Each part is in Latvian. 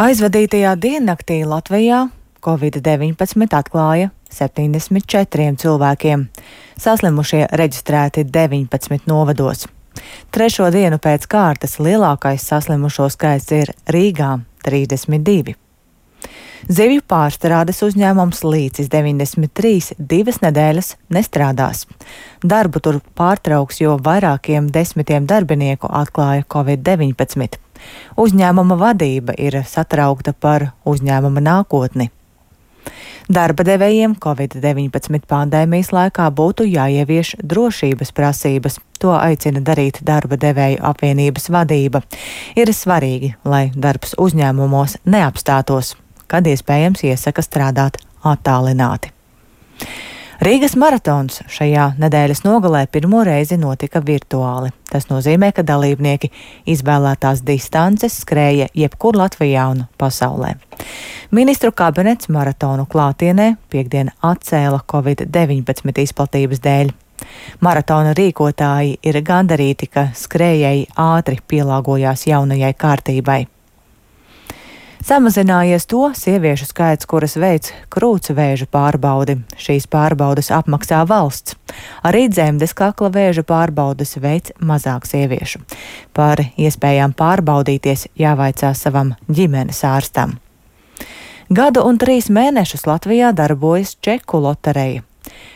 Aizvadītajā diennaktī Latvijā Covid-19 atklāja 74 cilvēkiem. Saslimušie reģistrēti 19 novados. Trešo dienu pēc kārtas lielākais saslimušo skaits ir Rīgā - 32. Zivju pārstrādes uzņēmums Līcis 93 divas nedēļas nestrādās. Darbu tur pārtrauks, jo vairākiem desmitiem darbinieku atklāja Covid-19. Uzņēmuma vadība ir satraukta par uzņēmuma nākotni. Darba devējiem Covid-19 pandēmijas laikā būtu jāievieš drošības prasības. To aicina darīt darba devēju apvienības vadība. Ir svarīgi, lai darbs uzņēmumos neapstātos, kad iespējams iesaka strādāt attālināti. Rīgas maratons šajā nedēļas nogalē pirmo reizi notika virtuāli. Tas nozīmē, ka dalībnieki izvēlētās distances skrēja jebkur Latvijā un pasaulē. Ministru kabinets maratonu klātienē piektdien atcēla Covid-19 izplatības dēļ. Maratona rīkotāji ir gandarīti, ka skrējēji ātri pielāgojās jaunajai kārtībai. Samazinājies to sieviešu skaits, kuras veic krūtsvēža pārbaudi. Šīs pārbaudes apmaksā valsts. Arī dzemdes kakla vēža pārbaudes veic mazāk sieviešu. Par iespējām pārbaudīties jāvaicā savam ģimenes ārstam. Gadu un 3 mēnešus Latvijā darbojas čeku lotereja.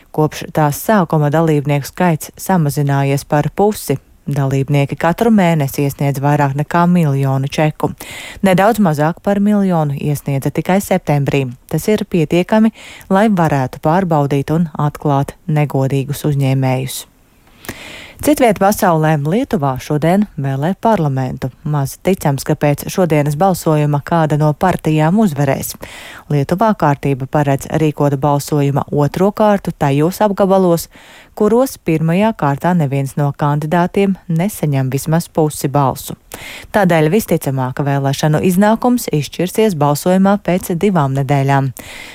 Kopš tās sākuma dalībnieku skaits samazinājies par pusi. Dalībnieki katru mēnesi iesniedz vairāk nekā 1 miljonu čeku. Nedaudz mazāk par 1 miljonu iesniedza tikai septembrī. Tas ir pietiekami, lai varētu pārbaudīt un atklāt negodīgus uzņēmējus. Citviet pasaulē Lietuvā šodien vēlē parlamentu. Maz ticams, ka pēc šodienas balsojuma kāda no partijām uzvarēs. Lietuvā kārtība paredz rīkot balsojuma otro kārtu tajos apgabalos, kuros pirmajā kārtā neviens no kandidātiem nesaņem vismaz pusi balsu. Tādēļ visticamāk vēlēšanu iznākums izšķirsies balsojumā pēc 2 nedēļām.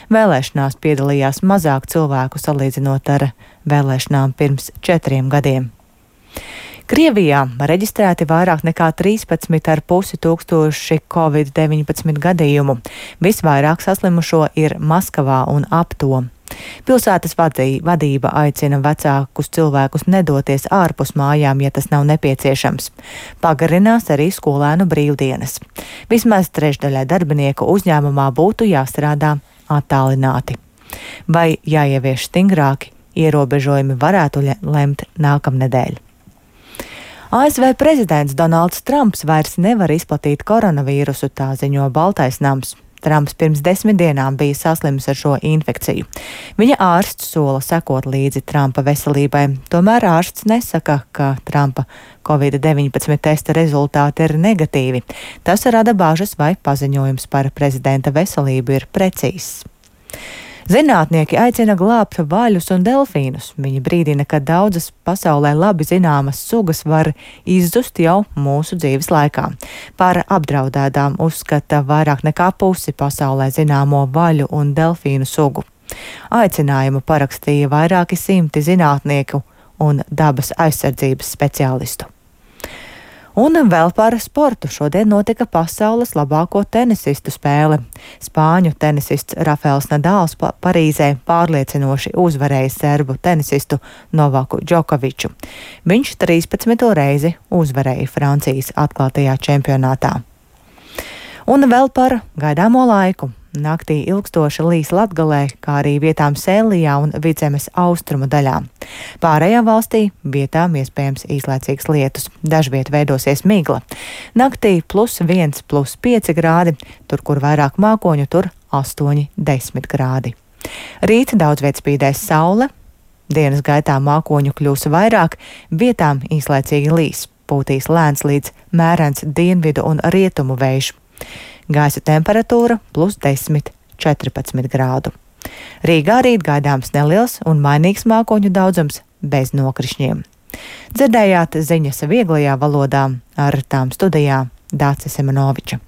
Vēlēšanās piedalījās mazāk cilvēku salīdzinot ar vēlēšanām pirms 4 gadiem. Krievijā reģistrēti vairāk nekā 13,5 tūkstoši Covid-19 gadījumu. Visvairāk saslimušo ir Maskavā un ap to. Pilsētas vadība aicina vecākus cilvēkus nedoties ārpus mājām, ja tas nav nepieciešams. Pagarinās arī skolēnu brīvdienas. Vismaz trešdaļai darbinieku uzņēmumā būtu jāstrādā attālināti. Vai jāievieš stingrāki ierobežojumi varētu lemt nākamnedēļ. ASV prezidents Donalds Trumps vairs nevar izplatīt koronavīrusu, tā ziņo Baltais nams. Trumps pirms 10 dienām bija saslims ar šo infekciju. Viņa ārsts sola sekot līdzi Trumpa veselībai, tomēr ārsts nesaka, ka Trumpa Covid-19 testa rezultāti ir negatīvi. Tas rada bāžas, vai paziņojums par prezidenta veselību ir precīzs. Zinātnieki aicina glābt vaļus un delfīnus. Viņi brīdina, ka daudzas pasaulē labi zināmas sugas var izzust jau mūsu dzīves laikā. Par apdraudētām uzskata vairāk nekā pusi pasaulē zināmo vaļu un delfīnu sugu. Aicinājumu parakstīja vairāki simti zinātnieku un dabas aizsardzības speciālistu. Un vēl par sportu. Šodien notika pasaules labāko tenisistu spēle. Spāņu tenisists Rafaels Nadals Parīzē pārliecinoši uzvarēja serbu tenisistu Novaku Džokoviču. Viņš 13. reizi uzvarēja Francijas atklātajā čempionātā. Un vēl par gaidāmo laiku. Naktī ilgstoši līs Latgalē, kā arī vietām Sēlijā un Vidzemes austrumu daļā. Pārējā valstī vietām iespējams īslaicīgs lietus. Dažviet veidosies migla. Naktī +1, +5 grādi, tur, kur vairāk mākoņu, tur 8–10 grādi. Rīt daudz viet spīdēs saule, dienas gaitā mākoņu kļūs vairāk, vietām īslaicīgi līs. Pūtīs lēns līdz mērens dienvidu un rietumu vējš. Gaisa temperatūra +10–14 grādu. Rīgā rīt gaidāms neliels un mainīgs mākoņu daudzums bez nokrišņiem. Dzirdējāt ziņas vieglajā valodā, ar tām studijā Dāce Semenoviča.